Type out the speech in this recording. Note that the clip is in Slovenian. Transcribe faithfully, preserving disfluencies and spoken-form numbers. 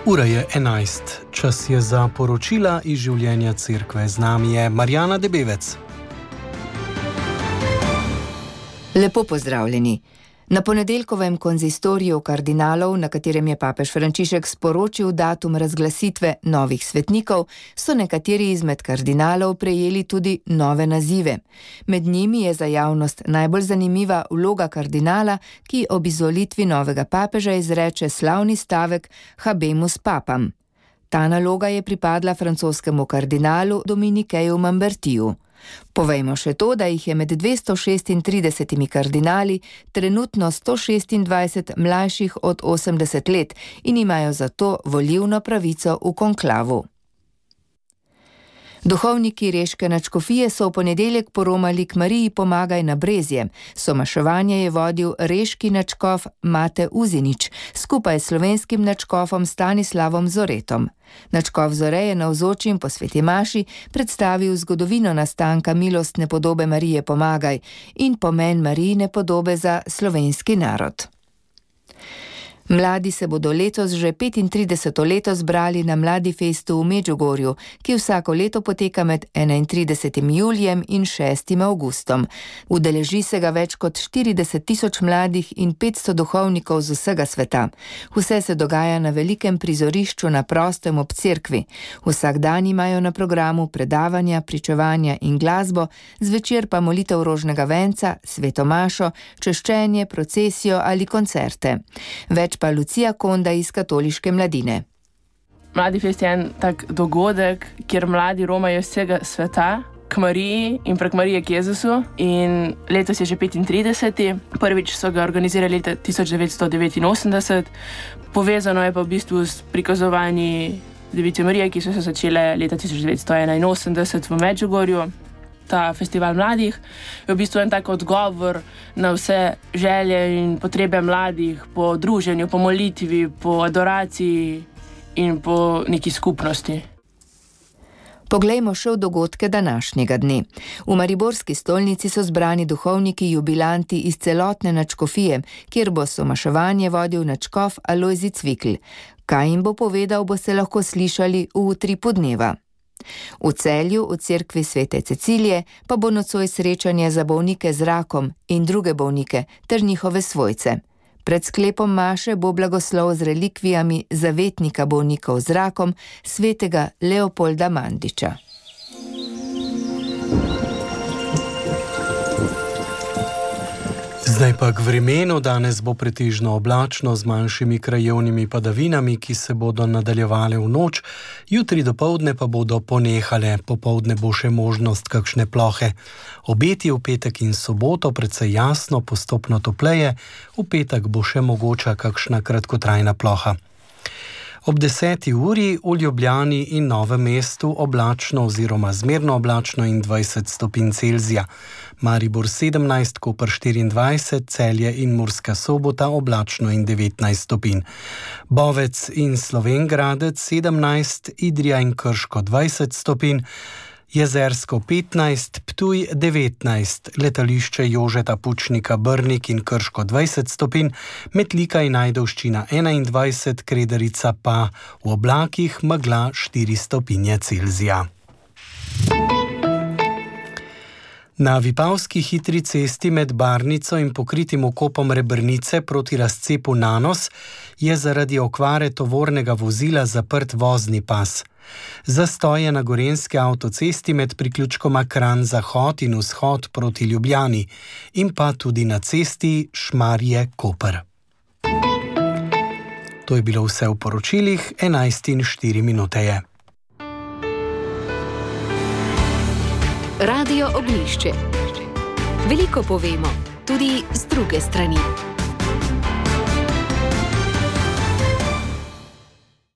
Ura je enajst. Čas je za poročila iz življenja cerkve. Z nami je Marjana Debevec. Lepo pozdravljeni. Na ponedeljkovem konzistoriju kardinalov, na katerem je papež Frančišek sporočil datum razglasitve novih svetnikov, so nekateri izmed kardinalov prejeli tudi nove nazive. Med njimi je za javnost najbolj zanimiva vloga kardinala, ki ob izvolitvi novega papeža izreče slavni stavek Habemus Papam. Ta naloga je pripadla francoskemu kardinalu Dominikeju Mambertiju. Povejmo še to, da jih je med dvesto šestintridesetimi kardinali trenutno sto šestindvajset mlajših od osemdeset let in imajo zato volilno pravico v konklavu. Duhovniki Reške nadškofije so v ponedeljek poromali k Mariji Pomagaj na Brezje. Somaševanje je vodil reški nadškof Mate Uzinič skupaj s slovenskim nadškofom Stanislavom Zoretom. Nadškof Zore je navzočim po sveti maši predstavil zgodovino nastanka milostne podobe Marije Pomagaj in pomen Marijine podobe za slovenski narod. Mladi se bodo letos že petintrideseto leto zbrali na Mladi festu v Medžugorju, ki vsako leto poteka med enaintridesetim julijem in šestim avgustom. Udeleži se ga več kot štirideset tisoč mladih in petsto duhovnikov z vsega sveta. Vse se dogaja na velikem prizorišču na prostem ob cerkvi. Vsak dan imajo na programu predavanja, pričevanja in glasbo, zvečer pa molitev rožnega venca, sveto mašo, češčenje, procesijo ali koncerte. Več pa Lucija Konda iz Katoliške mladine. Mladi fest je en tak dogodek, kjer mladi romajo iz vsega sveta k Mariji in prek Marije k Jezusu. In letos je že petintrideseti. Prvič so ga organizirali leta tisoč devetsto devetinosemdeset. Povezano je pa v bistvu s prikazovanji Device Marije, ki so se začele leta tisoč devetsto enainosemdeset v Medžugorju. Ta festival mladih je v bistvu en tak odgovor na vse želje in potrebe mladih po druženju, po molitvi, po adoraciji in po neki skupnosti. Poglejmo še v dogodke današnjega dne. V mariborski stolnici so zbrani duhovniki jubilanti iz celotne nadškofije, kjer bo somaševanje vodil nadškof Alojzij Cvikl. Kaj jim bo povedal, boste lahko slišali v utripu dneva. V Celju, v cerkvi svete Cecilije, pa bo nocoj srečanje za bolnike z rakom in druge bolnike ter njihove svojce. Pred sklepom maše bo blagoslov z relikvijami zavetnika bolnikov z rakom, svetega Leopolda Mandiča. Zdaj pa k vremenu. Danes bo pretežno oblačno z manjšimi krajevnimi padavinami, ki se bodo nadaljevale v noč. Jutri dopoldne pa bodo ponehale. Popoldne bo še možnost kakšne plohe. Obeti v petek in soboto precej jasno, postopno topleje. V petek bo še mogoča kakšna kratkotrajna ploha. Ob deseti uri v Ljubljani in Novem mestu oblačno oziroma zmerno oblačno in dvajset stopinj Celzija. Maribor sedemnajst, Koper štiriindvajset, Celje in Murska Sobota oblačno in devetnajst stopinj. Bovec in Slovenj Gradec sedemnajst, Idrija in Krško dvajset stopinj, Jezersko petnajst, Ptuj devetnajst, letališče Jožeta Pučnika Brnik in Krško dvajset stopinj, Metlika in Ajdovščina enaindvajset, Kredarica pa v oblakih megla štiri stopinje Celzija. Na Vipavski hitri cesti med Barnico in pokritim vkopom Rebrnice proti razcepu Nanos je zaradi okvare tovornega vozila zaprt vozni pas. Zastoj je na gorenjski avtocesti med priključkoma Kranj Zahod in Vzhod proti Ljubljani in pa tudi na cesti Šmarje-Koper. To je bilo vse v poročilih, enajst in štiri minute je. Radio Ognjišče. Veliko povemo, tudi z druge strani.